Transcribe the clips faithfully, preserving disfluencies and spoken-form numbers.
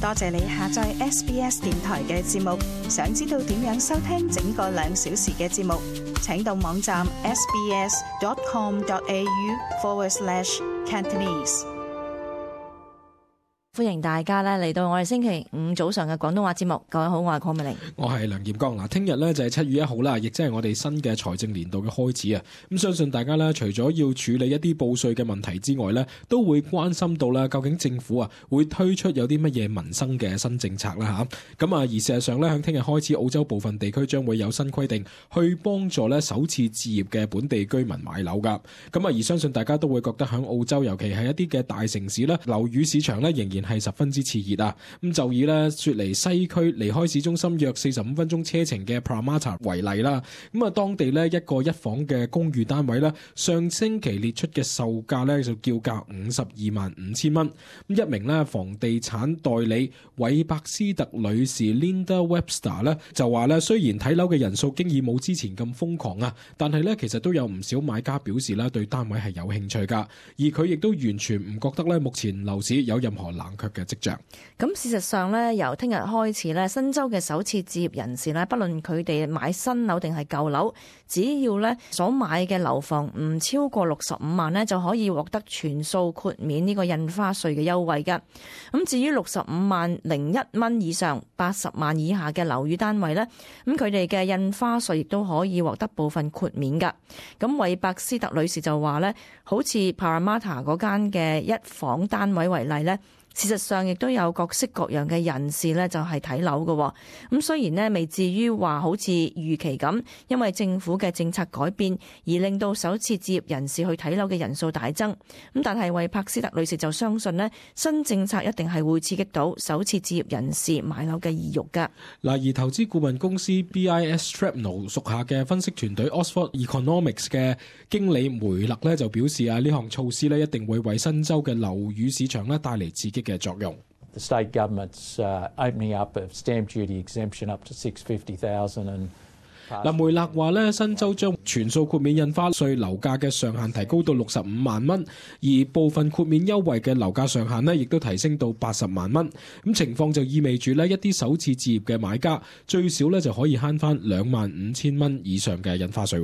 多謝你下載 S B S 電台嘅節目。想知道點樣收聽整個兩小時嘅節目，請到網站 sbs.com.au forward slash Cantonese。歡迎大家咧嚟到我哋星期五早上嘅廣東話節目。各位好，我係鄺美玲，我係梁劍剛。嗱，聽日咧就係七月一號啦，亦即係我哋新嘅財政年度嘅開始啊。咁相信大家咧，除咗要處理一啲報稅嘅問題之外咧，都會關心到啦，究竟政府啊會推出有啲乜嘢民生嘅新政策啦吓。咁啊，而事實上咧，響聽日開始，澳洲部分地區將會有新規定，去幫助咧首次置業嘅本地居民買樓噶。咁啊，而相信大家都會覺得響澳洲，尤其係一啲嘅大城市咧，樓宇市場咧仍然係十分之熾熱啊！咁就以咧雪梨西區離開市中心約四十五分鐘車程嘅 Parramatta 為例啦。咁啊，當地咧一個一房嘅公寓單位咧，上星期列出嘅售價咧就叫價五十二萬五千蚊。咁一名咧房地產代理韋伯斯特女士 Linda Webster 咧就話咧，雖然睇樓嘅人數經已冇之前咁瘋狂啊，但係咧其實都有唔少買家表示咧對單位係有興趣噶。而佢亦都完全唔覺得咧目前樓市有任何冷卻嘅跡象。咁事實上咧，由聽日開始咧，新州嘅首次置業人士咧，不論佢哋買新樓定係舊樓，只要咧所買嘅樓房唔超過六十五萬咧，就可以獲得全數豁免呢個印花稅嘅優惠㗎。咁至於六十五萬零一蚊以上、八十萬以下嘅樓宇單位咧，咁佢哋嘅印花稅亦都可以獲得部分豁免㗎。咁韋伯斯特女士就話咧，好似 Parramatta 嗰間嘅一房單位為例咧，事實上亦都有各式各樣嘅人士咧，就係睇樓嘅。咁雖然呢未至於話好似預期咁，因為政府嘅政策改變而令到首次置業人士去睇樓嘅人數大增。咁但係韋伯斯特女士就相信呢，新政策一定係會刺激到首次置業人士買樓嘅意欲㗎。嗱，而投資顧問公司 B I S Trapnell 屬下嘅分析團隊 Oxford Economics 嘅經理梅勒咧就表示啊，呢項措施咧一定會為新州嘅樓宇市場咧帶嚟刺激嘅作用。The state government's uh, opening up of stamp duty exemption up to six hundred fifty thousand and 嗱，梅勒話咧，新州將全數豁免印花稅樓價嘅上限提高到六十五萬蚊，而部分豁免優惠嘅樓價上限呢亦都提升到八十萬蚊。咁情況就意味住呢一啲首次置業嘅買家最少咧就可以慳翻兩萬五千蚊以上嘅印花稅。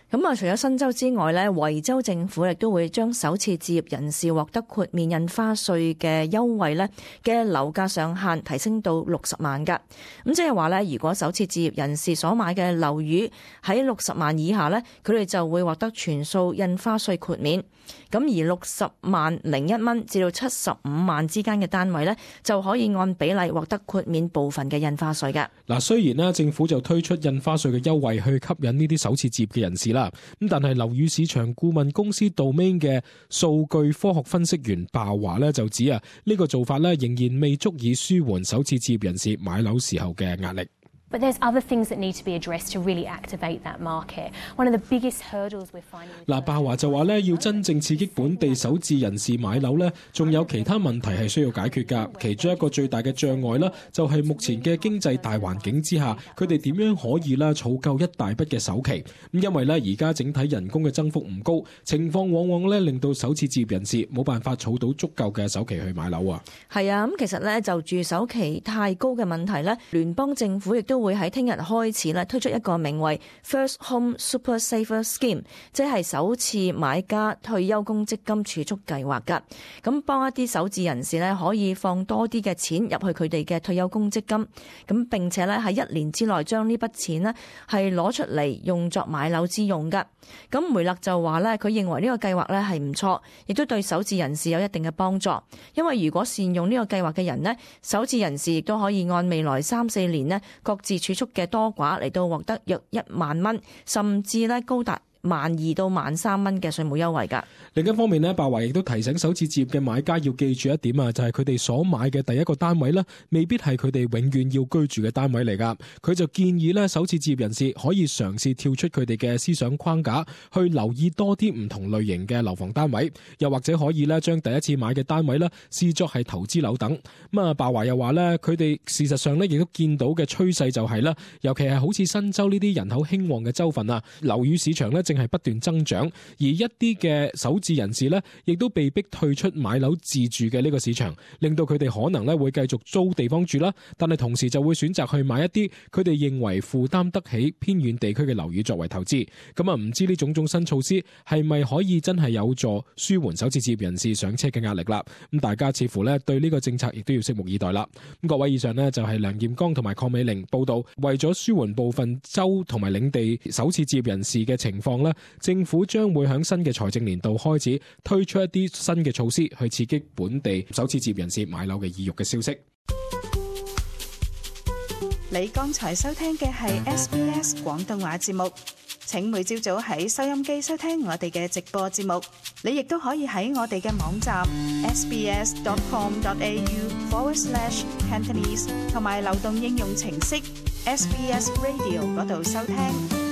咁啊，除咗新州之外咧，維州政府亦都會將首次置業人士獲得豁免印花稅嘅優惠咧嘅樓價上限提升到六十萬㗎。咁即係話咧，如果首次置業人士所買嘅樓宇喺六十萬以下咧，佢哋就會獲得全數印花稅豁免。咁而六十萬零一蚊至到七十五萬之間嘅單位咧，就可以按比例獲得豁免部分嘅印花稅嘅。嗱，雖然咧政府就推出印花稅嘅優惠去吸引呢啲首次置業嘅人士啦，咁但係樓宇市場顧問公司 Domain 嘅數據科學分析員鮑華咧就指啊，呢個做法咧仍然未足以舒緩首次置業人士買樓時候嘅壓力。But there's other things that need to be addressed to really activate that market. One of the biggest hurdles we're finding. 嗱，鮑華就話咧，要真正刺激本地首置人士買樓咧，仲有其他問題係需要解決㗎。其中一個最大嘅障礙啦，就係目前嘅經濟大環境之下，佢哋點樣可以啦儲夠一大筆嘅首期？咁因為咧而家整體人工嘅增幅唔高，情況往往咧令到首次置業人士冇辦法儲到足夠嘅首期去買樓啊。係啊，咁其實咧就住首期太高嘅問題咧，聯邦政府亦都會喺聽日開始咧推出一個名為 First Home Super Saver Scheme， 即係首次買家退休公積金儲蓄計劃㗎。咁幫一啲首置人士咧可以放多啲嘅錢入去佢哋嘅退休公積金，咁並且咧喺一年之內將呢筆錢呢係攞出嚟用作買樓之用㗎。咁梅勒就話咧，佢認為呢個計劃咧係唔錯，亦都對首置人士有一定嘅幫助。因為如果善用呢個計劃嘅人呢，首置人士亦都可以按未來三四年呢各自儲蓄嘅多寡嚟到獲得約一萬蚊，甚至咧高達萬二到萬三蚊嘅稅務優惠㗎。另一方面呢，鮑華亦都提醒首次置業嘅買家要記住一點啊，就係佢哋所買嘅第一個單位呢，未必係佢哋永遠要居住嘅單位嚟㗎。佢就建議呢，首次置業人士可以嘗試跳出佢哋嘅思想框架，去留意多啲唔同類型嘅樓房單位，又或者可以呢將第一次買嘅單位呢視作係投資樓等。咁啊，鮑華又話呢，佢哋事實上呢亦都見到嘅趨勢就係啦，尤其係好似新州呢啲人口興旺嘅州份啊，樓宇市場呢正係不斷增長，而一啲嘅首置人士呢，亦都被逼退出買樓自住嘅呢個市場，令到佢哋可能咧會繼續租地方住啦，但係同時就會選擇去買一啲佢哋認為負擔得起偏遠地區嘅樓宇作為投資。咁啊，唔知呢種種新措施係咪可以真係有助舒緩首次置業人士上車嘅壓力啦？咁大家似乎咧對呢個政策亦都要拭目以待啦。咁各位，以上呢就係梁彥剛同埋鄺美玲報道，為咗舒緩部分州同埋領地首次置業人士嘅情況咧，政府將會喺新嘅財政年度開始推出一啲新嘅措施，去刺激本地首次置業人士買樓嘅意欲嘅消息。你剛才收聽嘅係 S B S 廣東話節目，請每朝早喺收音機收聽我哋嘅直播節目。你亦都可以喺我哋嘅網站 sbs.com.au forward slash Cantonese 同埋流動應用程式 S B S Radio 嗰度收聽。